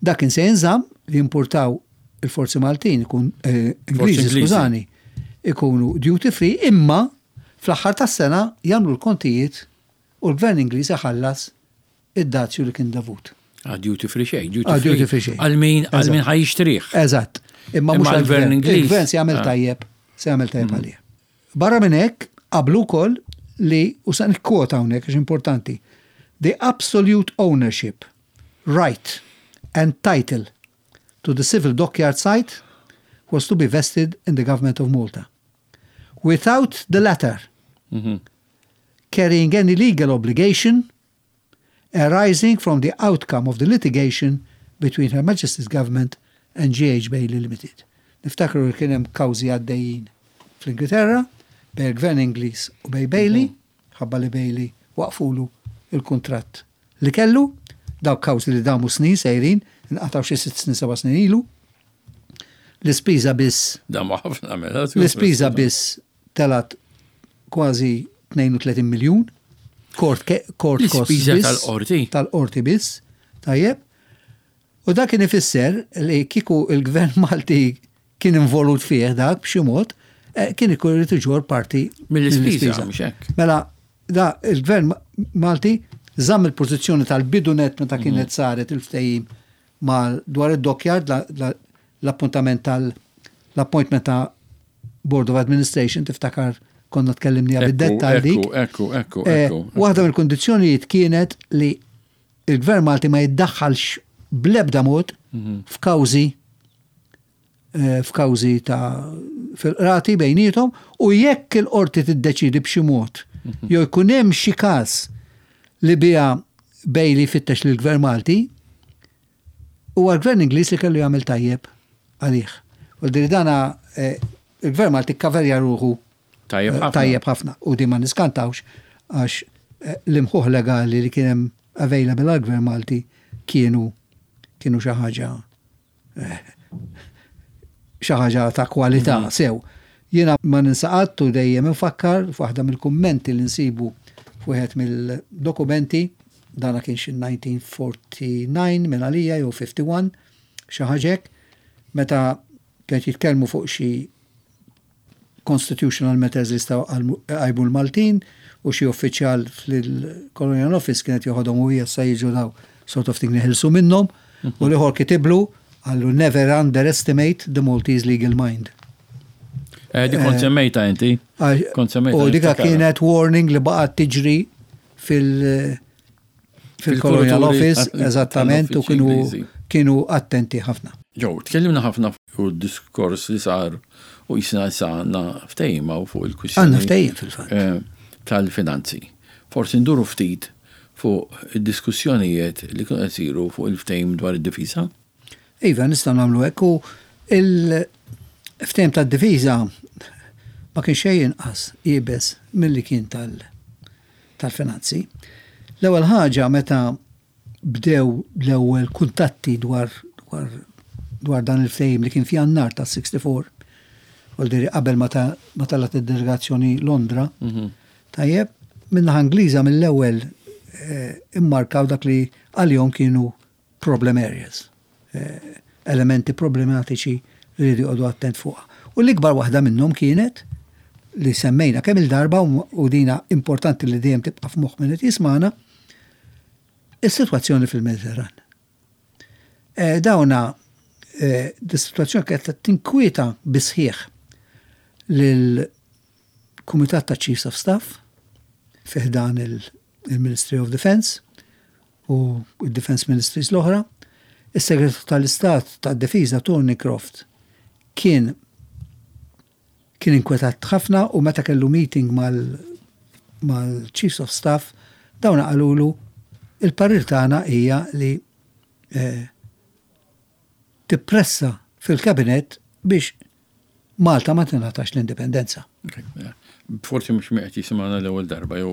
Dak kien se jinżamm li jimpurtaw il-forzi Maltin ikun eh, Ingliżi, skużani, ikunu duty free imma fl-aħħar tas-sena jagħmlu l-kontijiet u l-Gvern Ingliż iħallas id-dazju li kien dovut. Ah, duty free xejn, duty ah, free. free xejn. Għal min għal min ħaj jixtrih. Eżatt. Imma mhux għall-Gvern Ingliż. Il-Gvern se jagħmel ah. tajjeb, se jagħmel tajjeb mm. għalih. Barra minn hekk, qablu wkoll li, u sa nikkwota hawnhekk għax importanti, the absolute ownership, right and title to the civil dockyard site was to be vested in the government of Malta. Without the latter carrying any legal obligation arising from the outcome of the litigation between Her Majesty's Government and GH Bailey Limited. Niftakru li kien hemm kawżi għaddejjin fl-Ingilterra bejn il-Gvern Ingliż u bejn Bailey, ħabba li Bailey waqfulu l-kuntratt li kellu. Dawk kawżi li damu snin sejrin, inqatgħu xi sitt snin seba' snin ilu. L-ispiża biss. Damu ħafna mela. L-ispiża biss telgħet kważi 32 miljun. Court, court cost. L-ispiża tal-qorti. Tal-qorti biss. Tajjeb. U dak kien ifisser li kieku il-gvern Malti kien involut fih dak b'xi mod, eh, kien ikun irid iġorr parti mill-ispiża. Mhux hekk. Mela, da il-gvern Malti żamm il-pożizzjoni tal-bidu net meta kienet mhm. saret il-ftehim mal dwar id-dockyard l-appuntament tal l-appointment ta' Board of Administration tiftakar konna tkellimniha bid-dettall dik. Ekku, ekku, eh, ekku. Waħda mill-kundizzjonijiet kienet li il-Gvern Malti ma jiddaħħalx bl-ebda mod mhm. f'kawżi eh, f'kawżi ta' fil-qrati bejnietom u jekk il-qorti tiddeċidi b'xi mod mhm. jew jkun hemm xi każ li biha Bailey fittex lill-Gvern Malti, huwa l-Gvern Ingliż li kellu jagħmel tajjeb għalih. U diri dana eh, il-Gvern Malti kkaverja ruħu eh, tajjeb ħafna u di ma niskantawx għax eh, l-imħuħ legali li kien hemm available għall-Gvern Malti kienu kienu xi ħaġa xi ħaġa ta' kwalità mhm. sew. Jiena ma ninsa qatt u dejjem infakkar f'waħda mill-kummenti li nsibu f'wieħed mill-dokumenti, dana kien xi 1949 minn għalija jew 51, xi ħaġa hekk, meta kienet jitkellmu fuq xi constitutional matters li jistgħu jqajmu l-Maltin u xi uffiċjal fil-Colonial Office kienet joħodhom u issa jiġu daw sort of thing neħilsu minnhom u l-ieħor kitiblu qallu never underestimate the Maltese legal mind. Eh, di kont semmejta inti. Kont semmejta. U dika kienet warning li baqgħet tiġri fil- fil-Colonial Office, eżattament, u kienu kienu attenti ħafna. Ġew, tkellimna ħafna fuq diskors li sar u jisna issa għandna ftehim u fuq il-kwistjoni. Għandna ftehim fil-fatt. Eh, tal-finanzi. Forsi nduru ftit fuq id-diskussjonijiet li kienu qed isiru fuq il-ftehim dwar id-difiża. Iva, nistgħu nagħmlu hekk u il-ftehim tad-difiża ma kien xejn inqas iebes milli kien tal- tal-finanzi. L-ewwel ħaġa meta bdew l-ewwel kuntatti dwar dwar dwar dan il-ftehim li kien f'Jannar tas-64, vuol qabel ma telgħet id-delegazzjoni Londra, mhm. tajjeb, min-naħa Ingliża mill-ewwel eh, immarkaw dak li għalihom kienu problem areas, elementi problematiċi li rridu joqogħdu attent fuqha. U l-ikbar waħda minnhom kienet li semmejna kemm il-darba u dina importanti li dejjem tibqa' f'moħħ min qed jismagħna, is-sitwazzjoni fil-Mediterran. Eh, dawna eh, dis-sitwazzjoni kienet tinkwieta bisħieħ lil Kumitat ta' Chiefs of Staff fi ħdan il-Ministry of Defence u d-Defence Ministries l-oħra. Is-Segretarju tal-Istat tad-Difiża Thornycroft kien kien inkwetat ħafna u meta kellu meeting mal-Chiefs of Staff dawn qalulu il-parir tagħna hija li eh, tippressa fil-Kabinett biex Malta ma tingħatax l-indipendenza. Mela, forsi mhux qed jisimgħana l-ewwel darba jew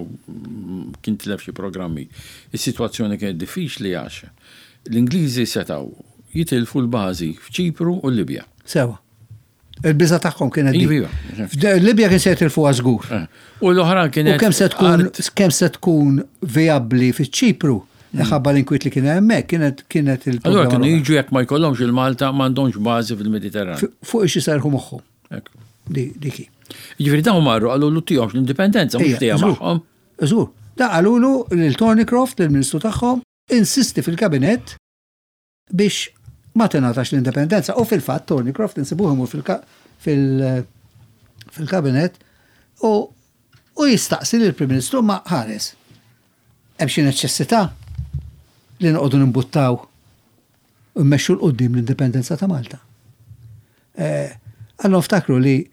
kien tilef xi programmi. Is-sitwazzjoni kienet diffiċli għax l-Ingliżi setgħu jitilfu l-bażi f'Ċipru u l-Libja. Sewa. Il-biża tagħhom kienet dik. Iva, iva. Libja kien se jitilfuha żgur. Eh. U l-oħra kienet. U kemm se tkun kemm se tkun vijabbli fiċ-Ċipru Ħabba l-inkwiet li kien hemmhekk kienet kienet il Allura kienu jiġu jekk ma jkollhomx il-Malta m'għandhomx bażi fil-Mediterran. Fuq ix iserħu moħħhom. Diki. Jiġifieri dawn marru qalulu tihomx l-indipendenza mhux tiegħu magħhom. Żgur. Da qalulu lil Thornycroft, lill-Ministru tagħhom, insisti fil-kabinett biex ma tingħatax l-indipendenza. U fil-fatt Thornycroft insibuh imur fil-kabinett u u jistaqsi lill-Prim Ministru ma ħares. Hemm xi neċessità li noqogħdu nimbuttaw u mmexxu 'l quddiem l-indipendenza ta' Malta. Eh, Allora ftakru li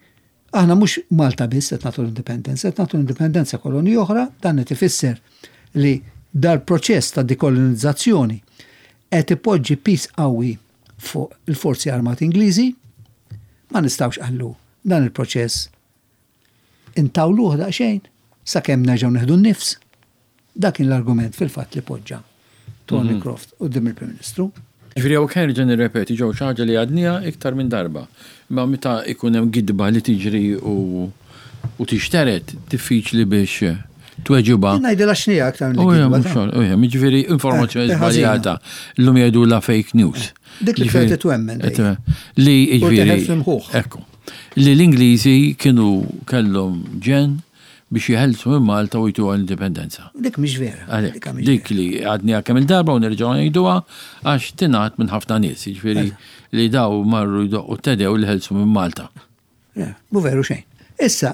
Aħna mhux Malta biss qed nagħtu l-indipendenza, qed nagħtu l-indipendenza kolonji oħra, dan qed ifisser li dal-proċess ta' dekolonizzazzjoni qed ipoġġi piż qawwi fuq il-Forzi Armati Ingliżi. Ma nistgħux qallu dan il-proċess intawluh daqsxejn sakemm nerġgħu nieħdu n-nifs. Dak kien l-argument fil-fatt li poġġa Thornycroft quddiem il-Prim Ministru. Jiġifieri hawnhekk nerġa' nirrepeti ġew xi ħaġa li għadniha iktar minn darba. Imma meta jkun hemm gidba li tiġri u u tixtered diffiċli biex tweġibha. Jien ngħidilha x'nija aktar milli gidba. Mhux jiġifieri informazzjoni żbaljata llum jgħidulha fake news. Dik li qed titwemmen. Li jiġifieri. Ekku. Li l-Ingliżi kienu kellhom ġenn biex jeħelsu minn Malta u jtuha l-indipendenza. Dik mhix vera. Għalhekk, dik li għadniha kemm il-darba u nerġgħu ngħiduha għax tingħad minn ħafna nies, jiġifieri li daw marru jdoqqu t-tedew li ħelsu minn Malta. Mhu veru xejn. Issa,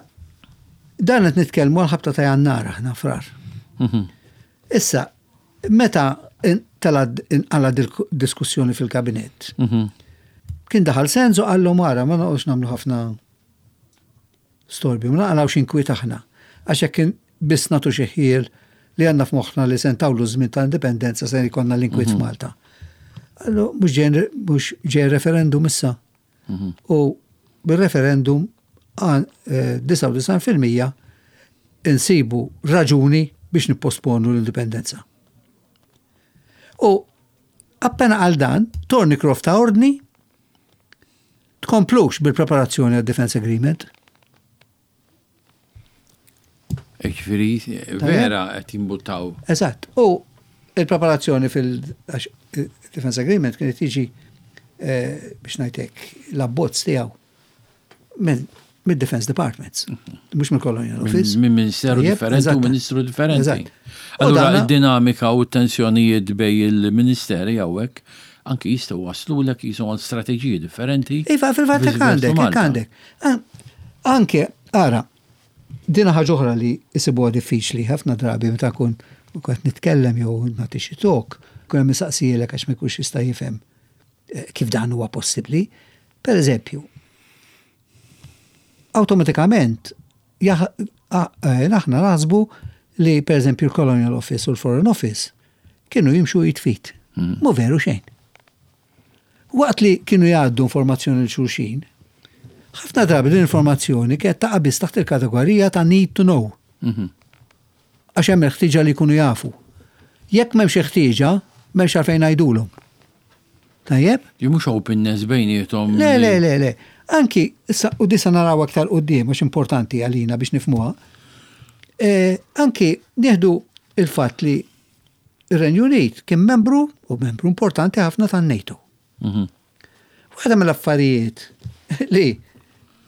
dan qed nitkellmu għal ħabta ta' Jannar aħna frar. Mhm. Issa, meta tela inqala diskussjoni fil-kabinett, mhm. kien daħal Senzo qallhom ara ma noqgħodx nagħmlu ħafna Storbju, ma naqalgħux inkwiet aħna, għax jekk biss nagħtu xi ħjiel li għandna f'moħħna li se ntawlu ż-żmien tal-indipendenza se jkollna l-inkwiet mhm. f'Malta. Allu, mhux ġej referendum issa. Mhm. U bil-referendum 99% eh, insibu raġuni biex nipposponu l-indipendenza. U appena għal dan, Thornycroft ta' ordni Tkomplux bil-preparazzjoni għad-Defence Agreement. Ġifieri, vera qed jimbuttaw. Eżatt. U il-preparazzjoni fil-Defence Agreement kienet tiġi eh, biex ngħidlek l-abbozz tiegħu minn mid-Defense Departments, mhux mill-Colonial Office. Minn ministeru differenti u ministru differenti. Allura id-dinamika u t-tensjonijiet bej il-ministeri hawnhekk anki jistgħu waslulek jisom għal strateġiji differenti. Iva, fil-fatt hekk għandek, hekk għandek. Anke, ara, dina ħaġa oħra li jsibuha diffiċli ħafna drabi meta kun qed nitkellem jew nagħti xi talk, kun hemm isaqsielek għax ma jkunx jista' jifhem eh, kif dan huwa possibbli. Per eżempju, awtomatikament eh, aħna naħsbu li per eżempju l-Colonial Office u l-Foreign Office kienu jimxu jitfit. Mm. Mu veru xejn. Waqt li kienu jgħaddu informazzjoni l xulxin, ħafna drabi l-informazzjoni kienet taqa' biss taħt il-kategorija ta' need to know. Mhm. Għax hemm il-ħtieġa li jkunu jafu. Jekk m'hemmx ħtieġa, m'hemmx għalfejn ngħidulhom. Tajjeb? Li mhux openness bejniethom. Le, le, le, le. Anki, issa, u disa naraw aktar quddiem, għax importanti għalina biex nifhmuha. E, anki nieħdu il-fatt li ir-Renju Unit kien membru u membru importanti ħafna tan-NATO. Mhm. Waħda mill-affarijiet li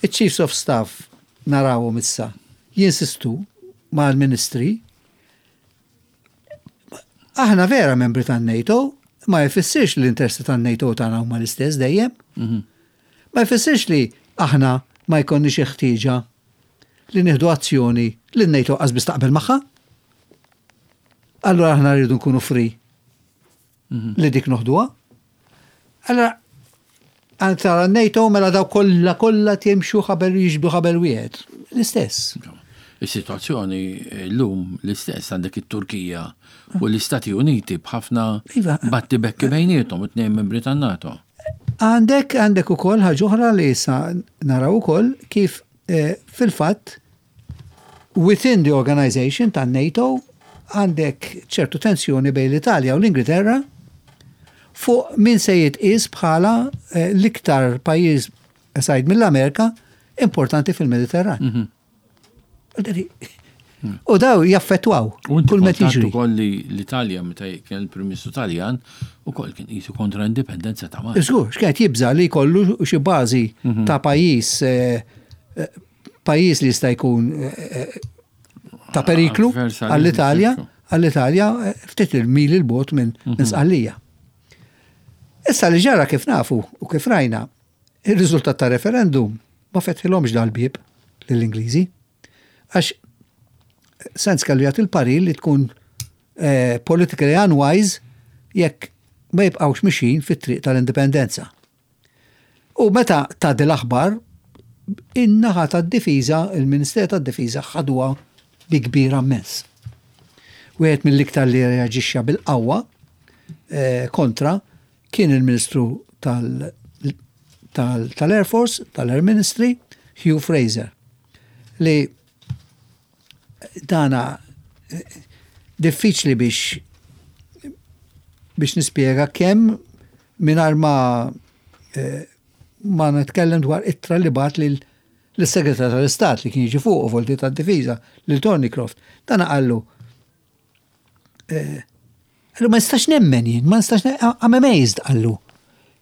iċ-Chiefs of Staff narawhom issa jinsistu mal-ministri aħna vera membri tan-NATO, ma jfissirx li l-interessi tan-NATO tagħna huma l-istess dejjem. Mhm. Ma jfissirx li aħna ma jkollniex ħtieġa li nieħdu azzjoni li n-NATO qas biss taqbel magħha. Allura aħna rridu nkunu free mhm. li dik noħduha. Allora, għal tara NATO mela daw kollha kollha timxu ħabel jiġbdu ħabel wieħed. L-istess. Is-sitwazzjoni llum l-istess għandek it-Turkija u l-Istati Uniti b'ħafna iva. batti bekki bejniethom it-tnejn membri tan-NATO. Għandek għandek ukoll ħaġa oħra li issa naraw ukoll kif eh, fil-fatt Within the organization tan-NATO għandek ċertu tensjoni bejn l-Italja u l-Ingilterra fuq min se jitqies bħala eh, l-iktar pajjiż aside mill-Amerika importanti fil-Mediterran. Mhm. U daw jaffettwaw kull meta jiġri. Ukoll li l-Italja meta kien il-Prim Ministru Taljan ukoll kien qisu kontra l-indipendenza ta' Malta. Żgur, x'kienet jibża' li jkollu xi bażi mhm. ta' pajjiż eh, eh, pajjiż li jista' jkun eh, eh, ta' periklu għall-Italja, għall-Italja eh, ftit il-mili l-bot minn mhm. Sqallija. Issa li ġara kif nafu u kif rajna, il-riżultat ta' referendum ma fetħilhomx dal-bieb lill-Ingliżi. Għax sens kellu jagħti l-parir li tkun politically unwise jekk ma jibqgħux mixin fit-triq tal-indipendenza. U meta tgħaddi l-aħbar, in-naħa tad-difiża, il-Ministeru tad-Difiża ħaduha bi kbira mmens. Wieħed mill-iktar li reaġixxa bil-qawwa eh, kontra kien il-Ministru tal-Air Force, tal-Air Ministry, Hugh Fraser, li dana diffiċli biex biex nispjega kemm mingħajr ma eh, ma nitkellem dwar ittra li bat lil l-segretar tal-Istat li kien jiġi fuq u volti tad-difiża lil Thornycroft. Dan qallu eh, qallu ma nistax nemmen jien, ma nistax I'm amazed qallu.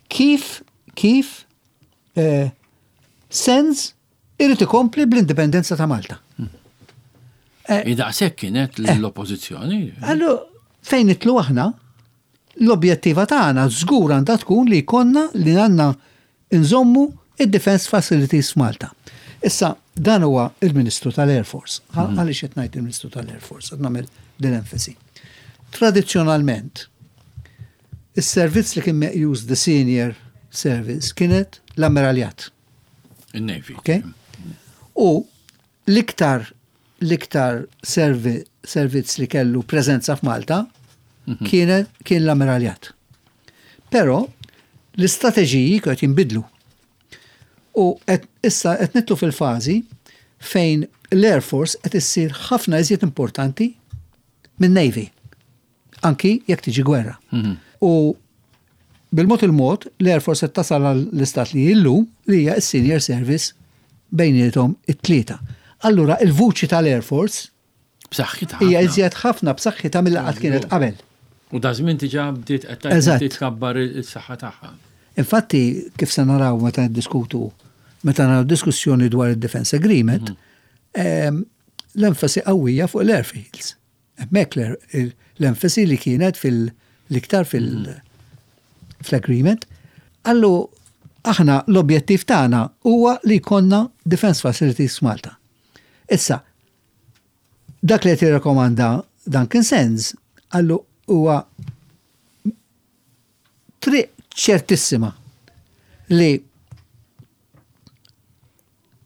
Kif kif eh, sens Irid ikompli bl-indipendenza ta' Malta. Eh, Daqshekk kienet eh. l-oppożizzjoni. Allu fejn nitlu aħna, l-objettiva tagħna żgur għandha tkun li jkollna li għandna nżommu id-defense facilities f'Malta. Issa, dan huwa il-Ministru tal-Air Force. Mhm. Għaliex qed ngħid il-Ministru tal-Air Force, qed nagħmel din enfasi. Tradizzjonalment, is-servizz li kien meqjus the senior service kienet l-ammiraljat. Il-Navy. Okay? U l-iktar l-iktar servizz li kellu preżenza f'Malta mhm. kien kien l-ammiraljat. Però l-istrateġiji qed jinbidlu. U issa qed nitlu fil-fażi fejn l-Air Force qed issir ħafna iżjed importanti minn Navy. Anki jekk tiġi gwerra. Mhm. U bil-mod il-mod l-Air Force qed tasal għall-istat li illum li hija s-senior service bejniethom it-tlieta. Allura il-vuċi tal-Air Force b'saħħitha hija iżjed ħafna b'saħħitha milli qatt kienet qabel. U da żmien diġà bdiet qed titkabbar is-saħħa tagħha. Infatti, kif se naraw meta niddiskutu meta naraw diskussjoni dwar id-Defence Agreement, l-enfasi qawwija fuq l-airfields. Hemmhekk l-enfasi li kienet fil-iktar fil-agreement. Allu aħna l-objettiv tagħna huwa li jkollna defence facilities f'Malta. Issa, dak li qed jirrakkomanda Duncan Sands qallu huwa triq ċertissima li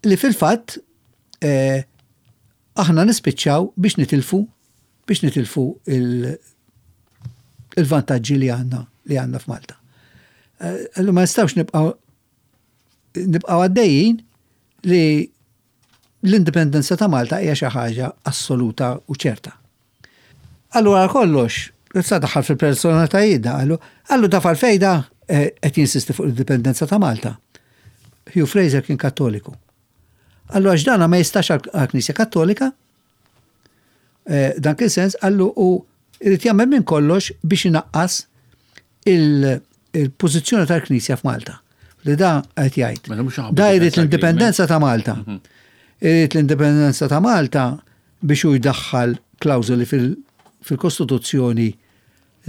li fil-fatt eh, aħna nispiċċaw biex nitilfu biex nitilfu il-vantaġġi li għandna li għandna f'Malta. Eh, Allura ma nistgħux nibqgħu nibqgħu għaddejjin li l-indipendenza ta' Malta hija xi ħaġa assoluta u ċerta. Allura kollox, issa daħal fil-personalitajiet da, qallu, qallu taf għalfejn da eh, qed jinsisti fuq l-indipendenza ta' Malta. Hugh Fraser kien kattoliku. Qallu għax dana ma jistax għal-Knisja Kattolika, eh, dan kien sens, qallu u irid jagħmel minn kollox biex inaqqas il-pożizzjoni tal-Knisja f'Malta. Li da qed jgħid. Mela mhux ħabba Da jrid defense l-indipendenza ta' Malta. Mhm. Irid l-indipendenza ta' Malta biex hu jdaħħal klawżoli fil-Kostituzzjoni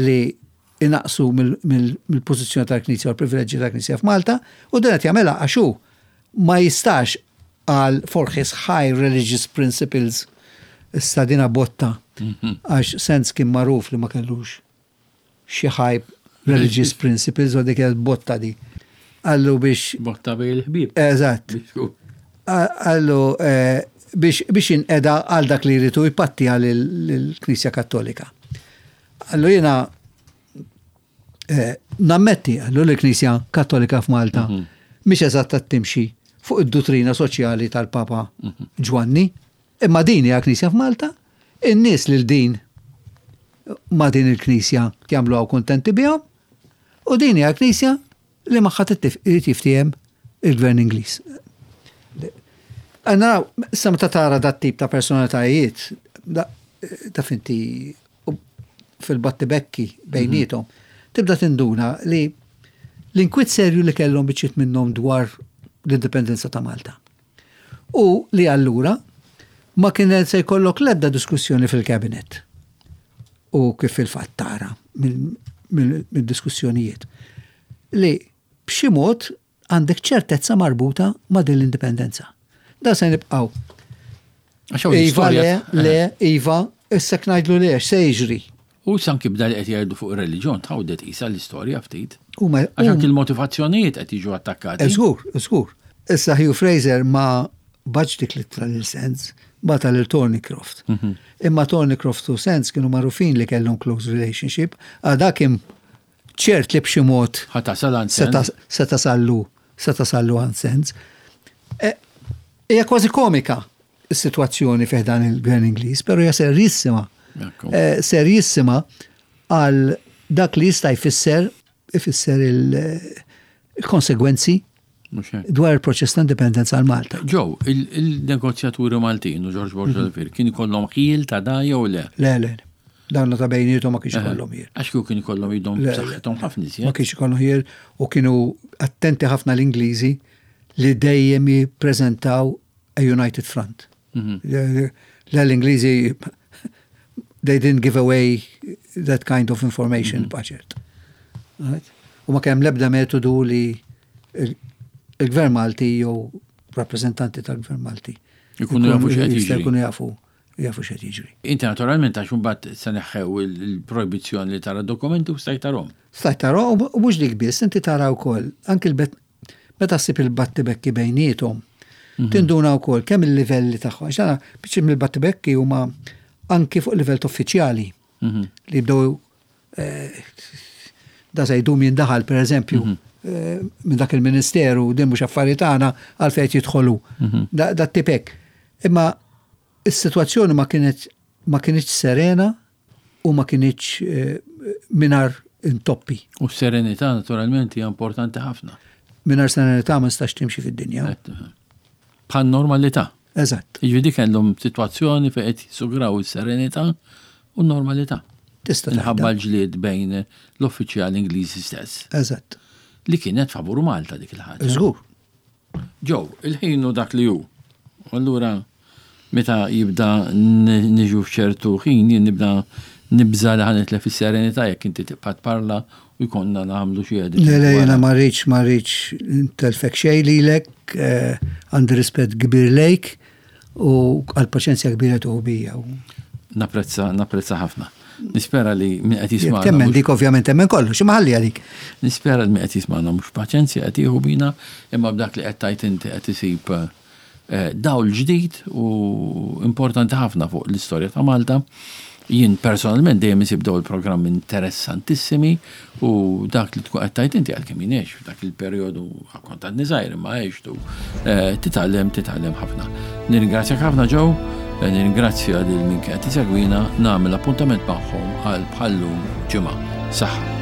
li inaqsu mill-pożizzjoni tal-Knisja u l-privileġġi tal-Knisja f'Malta u dan qed jagħmilha għax hu ma jistax għal for his high religious principles issa dina botta għax Sands kien magħruf li ma kellux xi high religious principles u dik kienet botta di. Qallu biex Botta bejn il-ħbieb. Eżatt. Qallu eh, biex jinqeda għal dak li jridu jpatti għal il-Knisja Kattolika. Qallu jiena eh, nammetti qallu l-Knisja Kattolika f'Malta mhix eżatt timxi fuq id-duttrina soċjali tal-Papa Ġwanni, imma din hija Knisja f'Malta, in-nies lil din ma din il-Knisja jagħmluha kuntenti bihom, u din hija Knisja li magħha irid jiftiehem il-Gvern Ingliż. Naraw, issa meta tara dat tip ta' personalitajiet, taf inti fil-battibekki bejniethom, tibda tinduna li l-inkwiet serju li kellhom biċċiet minnhom dwar l-indipendenza ta' Malta. U li allura ma kienet se jkollok l-ebda diskussjoni fil-kabinet. U kif fil-fatt tara mill-diskussjonijiet. Li b'xi mod għandek ċertezza marbuta ma' din l-indipendenza. Da se nibqgħu. Iva, le, le, Iva, issa ngħidlu le, se jiġri. U sanki bda li qed jgħidu fuq ir-reliġjon tħawdet isa l-istorja ftit. Għax anki l-motivazzjonijiet qed jiġu attakkati. Żgur, żgur. Issa Hugh Fraser ma bagħatx dik l-ittra lil Sands, bagħatha lil Thornycroft. Imma Thornycroft u Sands kienu magħrufin li kellhom close relationship, għada kien ċert li b'xi mod Ħa tasal għand Sands. se tasallu, se tasallu għand Sands. Hija kważi komika is-sitwazzjoni fih dan il-Gvern Ingliż, però hija serjissima. Serjissima għal dak li jista' jfisser ifisser il-konsegwenzi dwar il-proċess ta' indipendenza għal Malta. Joe, il-negozjaturi Maltin u George Borg Olivier kien ikollhom ħjiel ta' da jew le? Le, le, dan ta' bejniethom ma kienx ikollhom ħjiel. Għax kieku kien ikollhom idhom Le, le. b'saħħithom ħafna iżjed. Ma kienx ikollhom ħjiel u kienu attenti ħafna l-Ingliżi li dejjem jippreżentaw a united front. Le, l-Ingliżi they didn't give away that kind of information budget. Right? U ma kemm l-ebda metodu li il-Gvern Malti jew rappresentanti tal-Gvern Malti Ikunu jafu x'qed jista' jiġri. jkunu jafu jafu x'qed jiġri. Inti naturalment għax imbagħad se neħħew il-projbizzjoni li tara dokumenti u stajt tarhom. Stajt tara u mhux dik biss, inti tara wkoll anki l-bet meta ssib il-battibekki bejniethom, tinduna wkoll kemm il-livelli tagħhom. Għax għana biċċi mill-battibekki huma anki fuq livell uffiċjali li jibdew da se jdum jindaħal per eżempju minn dak il-ministeru din mhux affarijiet tagħna għalfejn jidħolu. Da tipek. Imma is-sitwazzjoni ma kienet ma kienx serena u ma kienx mingħajr intoppi. U s-serenità naturalment hija importanti ħafna. Mingħajr serenità ma nistax timxi fid-dinja. Bħal normalità. Eżatt. Jiġifieri kellhom sitwazzjoni fejn qed jisugraw is-serenità u n-normalità. Tista' Minħabba tgħidha. l-ġlied bejn l-uffiċjali Ingliżi stess. Eżatt. Li kienet favur Malta dik il-ħaġa. Żgur. Joe, il-ħin hu dak li hu. U allura meta jibda niġu f'ċertu ħin jien nibda nibża' li ħa nitlef is-serenità jekk inti tibqa' tparla u jkollna nagħmlu xi editing. Le, le, jiena ma rridx, ma rridx ntelfek xejn lilek, għandi rispett kbir lejk u għall-paċenzja kbira tieħu bija. Napprezza, napprezza ħafna. Nispera li min qed jismagħna. Temmen dik ovvjament temmen kollox, imma ħalliha dik. Nispera li min qed jismagħna mhux paċenzja qed jieħu bina, imma b'dak li qed tgħid inti qed isib dawl ġdid u importanti ħafna fuq l-istorja ta' Malta. Jien personalment dejjem isib dawn il-programmi interessantissimi u dak li tkun qed tgħid inti għalkemm jien għext f'dak il-perjodu kont għadni żgħir imma għextu eh, titgħallem titgħallem ħafna. Nirringrazzjak ħafna Joe, eh, nirringrazzja lil min kien qed isegwina, nagħmel appuntament magħhom għal bħallum ġimgħa. Saħħa.